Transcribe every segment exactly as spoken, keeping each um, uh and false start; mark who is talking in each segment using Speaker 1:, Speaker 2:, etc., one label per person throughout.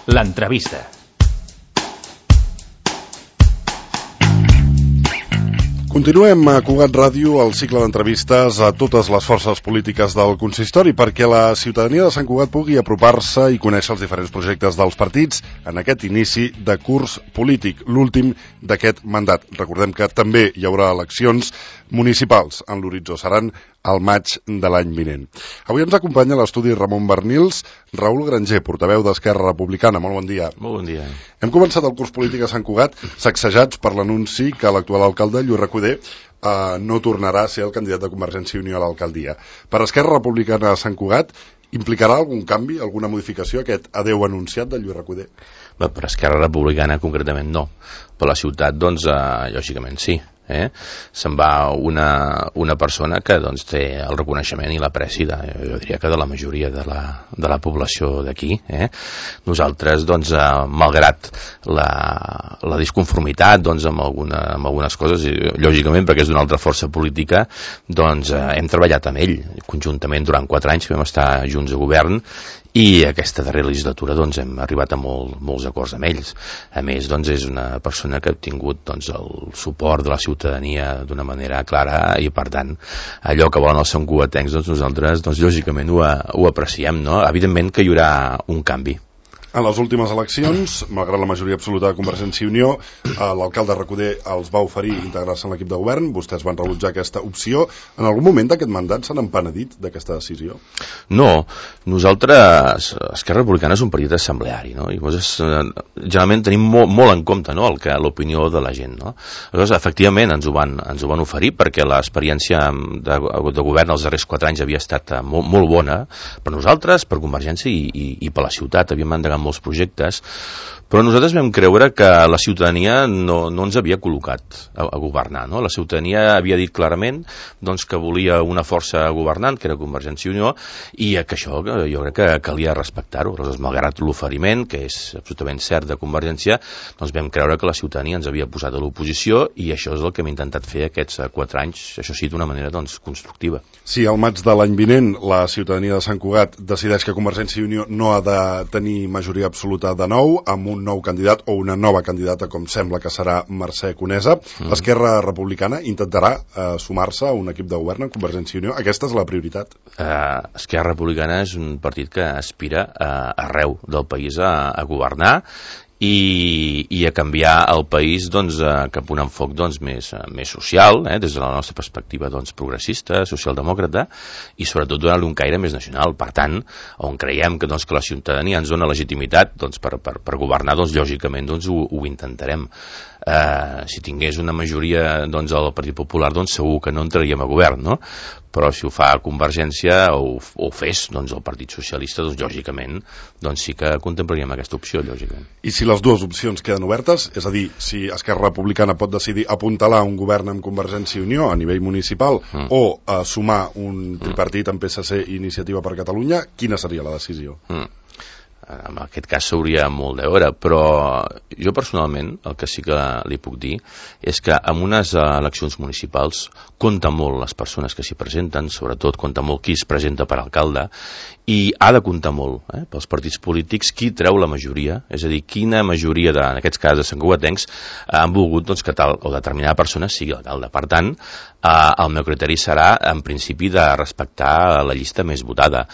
Speaker 1: L'entrevista.
Speaker 2: Continuem a Cugat Ràdio el cicle d'entrevistes a totes les forces polítiques del consistori perquè la ciutadania de Sant Cugat pugui apropar-se i conèixer els diferents projectes dels partits en aquest inici de curs polític, l'últim d'aquest mandat. Recordem que també hi haurà eleccions municipals en l'horitzó, seran al maig de l'any vinent. Avui ens acompanya a l'estudi Ramon Bernils, Raül Granger, portaveu d'Esquerra Republicana. Molt bon dia.
Speaker 3: Molt bon dia.
Speaker 2: Hem començat el curs polític a Sant Cugat sacsejats per l'anunci que l'actual alcalde, Lluís Recoder, eh, no tornarà a ser el candidat de Convergència i Unió a l'alcaldia. Per Esquerra Republicana a Sant Cugat, implicarà algun canvi, alguna modificació, aquest adeu anunciat de Lluís Recoder?
Speaker 3: Bé, per Esquerra Republicana concretament no. Per la ciutat, doncs, eh, lògicament sí. Eh? Se'n va una, una persona que doncs, té el reconeixement i l'apreci de, jo diria que de la majoria de la, de la població d'aquí. Eh? Nosaltres, doncs, eh, malgrat la, la disconformitat doncs, amb, alguna, amb algunes coses, i, lògicament perquè és d'una altra força política, doncs eh, hem treballat amb ell conjuntament durant quatre anys, vam estar junts a govern, i aquesta darrera legislatura doncs, hem arribat a molt, molts acords amb ells. A més, doncs, és una persona que ha obtingut doncs, el suport de la ciutadania d'una manera clara i, per tant, allò que volen els santcugatencs, doncs, nosaltres, doncs, lògicament, ho, ho apreciem. No? Evidentment que hi haurà un canvi.
Speaker 2: En les últimes eleccions, malgrat la majoria absoluta de Convergència i Unió, l'alcalde Recoder els va oferir integrar-se en l'equip de govern, vostès van rebutjar aquesta opció. En algun moment d'aquest mandat s'han empenedit d'aquesta decisió?
Speaker 3: No, nosaltres, Esquerra Republicana és un partit assembleari, no? I llavors, generalment tenim molt, molt en compte, no?, el que l'opinió de la gent, no? Llavors, efectivament, ens ho van, ens ho van oferir perquè l'experiència de, de govern els darrers quatre anys havia estat molt, molt bona per nosaltres, per Convergència i, i, i per la ciutat. Havíem endegat molts projectes, però nosaltres vam creure que la ciutadania no, no ens havia col·locat a, a governar, no? La ciutadania havia dit clarament doncs, que volia una força governant, que era Convergència i Unió, i que això jo crec que calia respectar-ho. Aleshores, malgrat l'oferiment, que és absolutament cert de Convergència, doncs vam creure que la ciutadania ens havia posat a l'oposició i això és el que hem intentat fer aquests quatre anys, això sí, d'una manera doncs, constructiva.
Speaker 2: Si al maig de l'any vinent la ciutadania de Sant Cugat decideix que Convergència i Unió no ha de tenir majoria absoluta de nou, amb un nou candidat o una nova candidata, com sembla que serà Mercè Conesa, mm. Esquerra Republicana intentarà eh, sumar-se a un equip de govern en Convergència i Unió? Aquesta és la prioritat.
Speaker 3: Uh, Esquerra Republicana és un partit que aspira uh, arreu del país a, a governar I, i a canviar el país doncs, eh, cap a un enfoc doncs, més, eh, més social, eh, des de la nostra perspectiva doncs, progressista, socialdemòcrata, i sobretot donar-li un caire més nacional. Per tant, on creiem que, doncs, que la ciutadania ens dona legitimitat doncs, per, per, per governar, doncs, lògicament doncs, ho, ho intentarem. Eh, si tingués una majoria doncs, al Partit Popular, doncs, segur que no entraríem a govern, no? Però si ho fa Convergència o ho fes doncs, el Partit Socialista, doncs, lògicament doncs, sí que contemplaríem aquesta opció, lògicament.
Speaker 2: I si les dues opcions queden obertes, és a dir, si Esquerra Republicana pot decidir apuntalar un govern amb Convergència i Unió a nivell municipal mm. o a sumar un tripartit amb P S C i Iniciativa per Catalunya, quina seria la decisió?
Speaker 3: Mm. En aquest cas s'hauria molt de veure, però jo personalment el que sí que li puc dir és que en unes eleccions municipals compta molt les persones que s'hi presenten, sobretot compta molt qui es presenta per alcalde, i ha de comptar molt eh, pels partits polítics qui treu la majoria, és a dir, quina majoria, de, en aquests casos de santcugatencs, han volgut doncs, que tal o determinada persona sigui alcalde. Per tant, eh, el meu criteri serà, en principi, de respectar la llista més votada.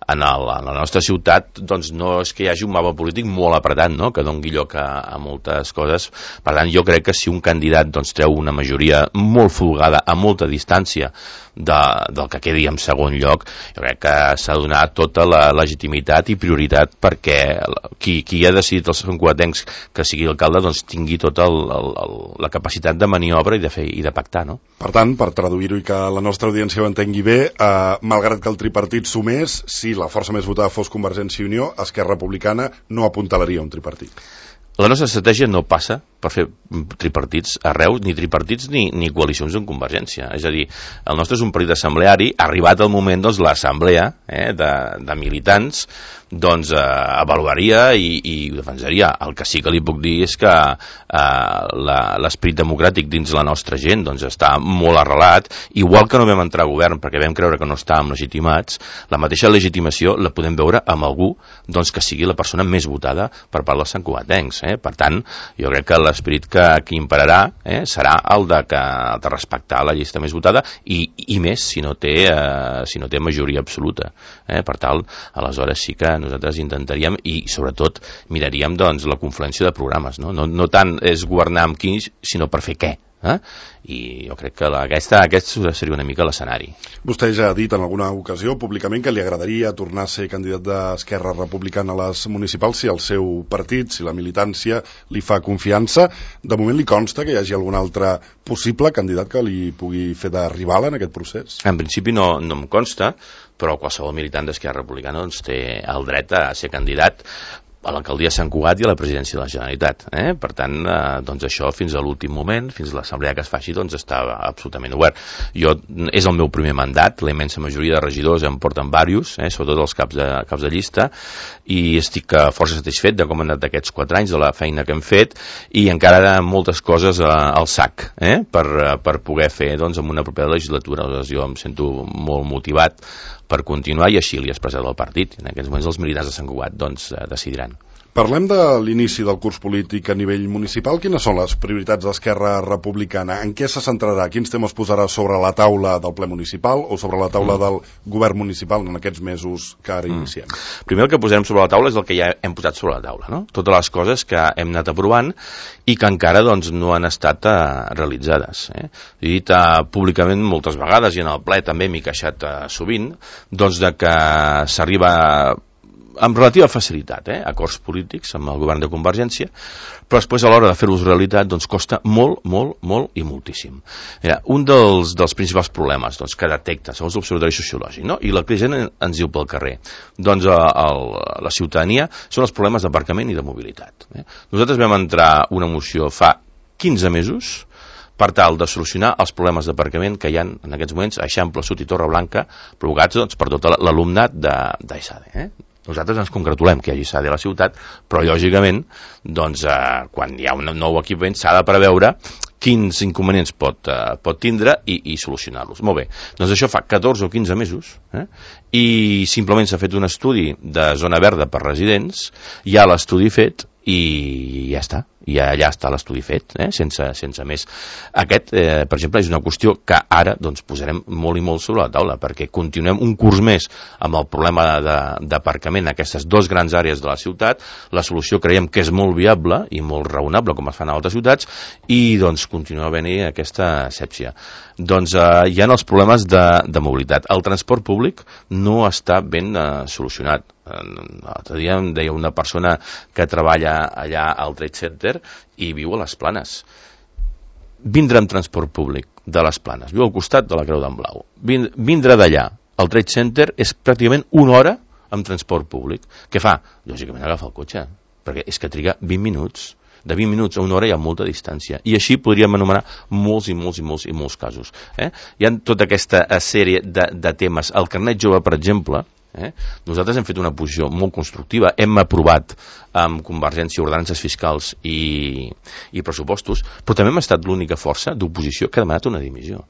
Speaker 3: En, el, en la nostra ciutat doncs, no és que hi hagi un mapa polític molt apretat, no?, que doni lloc a, a moltes coses. Per tant, jo crec que si un candidat doncs, treu una majoria molt folgada a molta distància de, del que quedi en segon lloc, jo crec que s'ha de donar tota la legitimitat i prioritat perquè qui, qui ha decidit els santcugatencs que sigui alcalde doncs, tingui tota el, el, el, la capacitat de maniobra i de, fer, i de pactar, no?
Speaker 2: Per tant, per traduir-ho i que la nostra audiència ho entengui bé, eh, malgrat que el tripartit sumés, si la força més votada fos Convergència i Unió, Esquerra Republicana no apuntalaria un tripartit.
Speaker 3: La nostra estratègia no passa per fer tripartits arreu, ni tripartits ni, ni coalicions en Convergència. És a dir, el nostre és un partit assembleari, ha arribat el moment, doncs, l'assemblea eh, de, de militants doncs eh, avaluaria i, i ho defensaria. El que sí que li puc dir és que eh, l'esperit democràtic dins la nostra gent doncs, està molt arrelat, igual que no vam entrar a govern perquè vam creure que no estàvem legitimats, la mateixa legitimació la podem veure amb algú doncs, que sigui la persona més votada per part dels santcugatencs. Eh? Per tant, jo crec que l'esperit que, que imperarà eh, serà el de, que, de respectar la llista més votada i, i més si no té, eh, si no té majoria absoluta. Eh? Per tant, aleshores sí que nosaltres intentaríem i sobretot miraríem doncs, la confluència de programes. No, no, no tant és governar amb qui, sinó per fer què. Eh? I jo crec que la, aquesta, aquest seria una mica l'escenari.
Speaker 2: Vostè ja ha dit en alguna ocasió públicament que li agradaria tornar a ser candidat d'Esquerra Republicana a les municipals si el seu partit, si la militància li fa confiança. De moment li consta que hi hagi algun altre possible candidat que li pugui fer de rival en aquest procés?
Speaker 3: En principi no, no em consta, però qualsevol militant d'Esquerra Republicana doncs, té el dret a ser candidat a l'alcaldia de Sant Cugat i a la presidència de la Generalitat. Eh? Per tant, eh, doncs això fins a l'últim moment, fins a l'assemblea que es faci, doncs està absolutament obert. Jo, és el meu primer mandat, la immensa majoria de regidors em porten diversos, eh, sobretot els caps de, caps de llista, i estic força satisfet de com han anat aquests quatre anys, de la feina que hem fet, i encara moltes coses eh, al sac, eh, per, per poder fer doncs, en una propera legislatura. Doncs jo em sento molt motivat per continuar i així li he expressat al partit. En aquests moments els militants de Sant Cugat doncs, decidiran.
Speaker 2: Parlem de l'inici del curs polític a nivell municipal. Quines són les prioritats d'Esquerra Republicana? En què se centrarà? Quins temes posarà sobre la taula del ple municipal o sobre la taula mm. del govern municipal en aquests mesos que ara mm. iniciem?
Speaker 3: Primer el que posarem sobre la taula és el que ja hem posat sobre la taula, no? Totes les coses que hem anat aprovant i que encara doncs, no han estat uh, realitzades. Eh? He dit uh, públicament moltes vegades i en el ple també m'he queixat uh, sovint doncs, de que s'arriba amb relativa facilitat, eh? acords polítics amb el govern de Convergència, però després a l'hora de fer-los realitat doncs costa molt, molt, molt i moltíssim. Mira, un dels, dels principals problemes doncs, que detecta, segons l'observatori sociològic, no? i la que gent ens diu pel carrer, doncs a, a, a la ciutadania són els problemes d'aparcament i de mobilitat. Eh? Nosaltres vam entrar una moció fa quinze mesos per tal de solucionar els problemes d'aparcament que hi ha en aquests moments a Eixample Sud i Torreblanca provocats doncs, per tot l'alumnat d'ESADE. Eh? Nosaltres ens congratulem que hi hagi ESADE a la ciutat, però lògicament doncs, eh, quan hi ha un nou equipament s'ha de preveure quins inconvenients pot, eh, pot tindre i, i solucionar-los. Molt bé, doncs això fa catorze o quinze mesos eh? i simplement s'ha fet un estudi de zona verda per residents, hi ha l'estudi fet i ja està, i allà està l'estudi fet, eh? sense, sense més. Aquest, eh, per exemple, és una qüestió que ara doncs, posarem molt i molt sobre la taula, perquè continuem un curs més amb el problema d'aparcament en aquestes dues grans àrees de la ciutat. La solució creiem que és molt viable i molt raonable, com es fan a altres ciutats, i doncs continua havent-hi aquesta asèpsia. Doncs eh, hi ha els problemes de, de mobilitat. El transport públic no està ben eh, solucionat. L'altre dia em deia una persona que treballa allà al Trade Center i viu a les Planes. Vindre amb transport públic de les Planes, viu al costat de la Creu d'en Blau. Vindre d'allà al Trade Center és pràcticament una hora amb transport públic. Què fa? Lògicament agafa el cotxe, perquè és que triga vint minuts. De vint minuts a una hora hi ha molta distància. I així podríem anomenar molts i molts i molts i molts casos. Eh? Hi ha tota aquesta sèrie de, de temes. El carnet jove, per exemple, Eh? nosaltres hem fet una posició molt constructiva, hem aprovat amb Convergència ordenances fiscals i, i pressupostos, però també hem estat l'única força d'oposició que ha demanat una dimissió.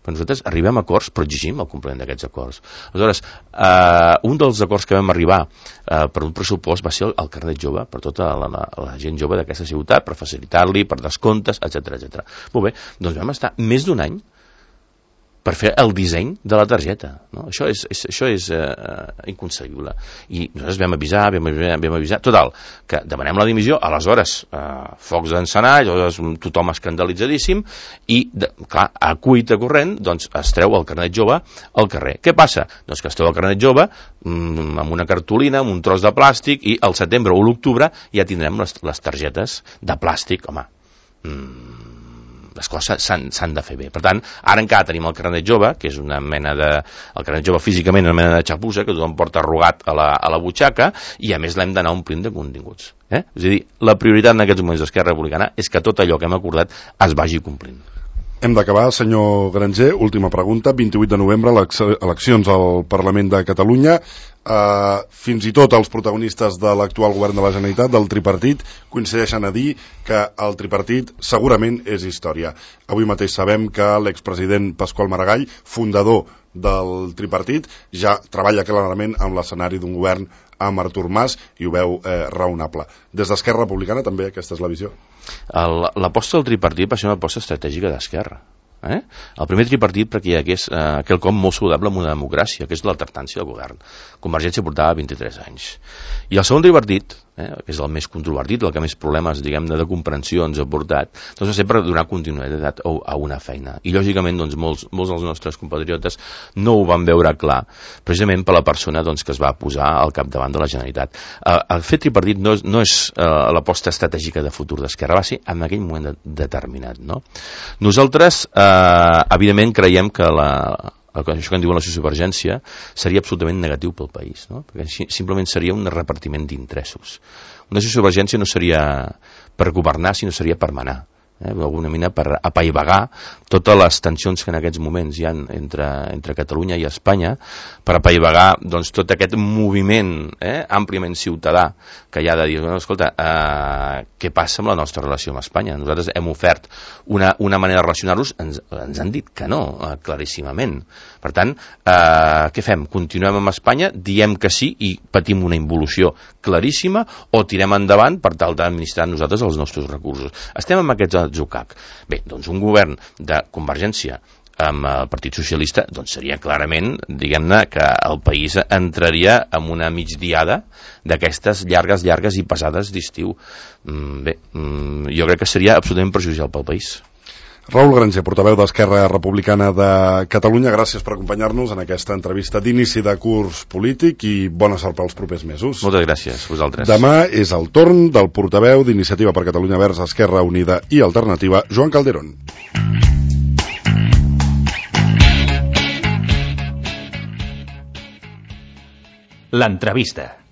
Speaker 3: Però nosaltres arribem a acords, però exigim el compliment d'aquests acords. Aleshores, eh, un dels acords que vam arribar eh, per un pressupost va ser el, el carnet jove per tota la, la, la gent jove d'aquesta ciutat, per facilitar-li, per descomptes, etcètera etcètera. Molt bé, doncs vam estar més d'un any per fer el disseny de la targeta. No? Això és, és, això és eh, inconcebible. I nosaltres vam avisar, vam avisar, vam avisar, total, que demanem la dimissió, aleshores eh, focs d'encenar, tothom escandalitzadíssim, i, de, clar, a cuita corrent, doncs es treu el carnet jove al carrer. Què passa? Doncs que es treu el carnet jove mm, amb una cartolina, amb un tros de plàstic, i al setembre o l'octubre ja tindrem les, les targetes de plàstic, home, mm, les coses s'han de fer bé. Per tant, ara encara tenim el carnet jove, que és una mena de... el carnet jove físicament és una mena de xapussa que tothom porta arrugat a la, a la butxaca, i a més l'hem d'anar omplint de continguts. Eh? És a dir, la prioritat en aquests moments d'Esquerra Republicana és que tot allò que hem acordat es vagi complint.
Speaker 2: Hem d'acabar, senyor Granger. Última pregunta. vint-i-vuit de novembre, eleccions al Parlament de Catalunya. Uh, fins i tot els protagonistes de l'actual govern de la Generalitat, del tripartit, coincideixen a dir que el tripartit segurament és història. Avui mateix sabem que l'expresident Pasqual Maragall, fundador del tripartit, ja treballa clarament amb l'escenari d'un govern amb Artur Mas i ho veu eh, raonable. Des d'Esquerra Republicana també aquesta és la visió?
Speaker 3: L'aposta del tripartit va ser una aposta estratègica d'Esquerra. Eh? El primer tripartit perquè hi hagués eh, quelcom molt saludable en una democràcia, que és l'alternància del govern. Convergència portava vint-i-tres anys. I el segon tripartit, eh, que és el més controvertit, el que més problemes, diguem-ne, de comprensió ens ha portat, doncs va ser per donar continuïtat a una feina. I lògicament doncs, molts, molts dels nostres compatriotes no ho van veure clar, precisament per la persona doncs, que es va posar al capdavant de la Generalitat. Eh, el fet tripartit no és, no és eh, l'aposta estratègica de futur d'Esquerra, va ser en aquell moment de, determinat. No? Nosaltres eh, Uh, evidentment creiem que la, això que en diuen la sociovergència seria absolutament negatiu pel país, no? Perquè simplement seria un repartiment d'interessos. Una sociovergència no seria per governar, sinó seria per manar, eh? d'alguna manera per apaivagar totes les tensions que en aquests moments hi ha entre, entre Catalunya i Espanya, per apaivagar doncs, tot aquest moviment eh, àmpliament ciutadà que hi ha de dir, no, escolta, eh, què passa amb la nostra relació amb Espanya? Nosaltres hem ofert una, una manera de relacionar-nos, ens, ens han dit que no, eh, claríssimament. Per tant, eh, què fem? Continuem amb Espanya, diem que sí i patim una involució claríssima, o tirem endavant per tal d'administrar nosaltres els nostres recursos. Estem amb aquests atzucac. Bé, doncs un govern de Convergència amb el Partit Socialista, doncs seria clarament, diguem-ne, que el país entraria en una migdiada d'aquestes llargues, llargues i pesades d'estiu. Bé, jo crec que seria absolutament perjudicial pel país.
Speaker 2: Raül Granger, portaveu d'Esquerra Republicana de Catalunya, gràcies per acompanyar-nos en aquesta entrevista d'inici de curs polític i bona sort pels propers mesos.
Speaker 3: Moltes gràcies, vosaltres.
Speaker 2: Demà és el torn del portaveu d'Iniciativa per Catalunya Verds, Esquerra Unida i Alternativa, Joan Calderón.
Speaker 1: L'entrevista.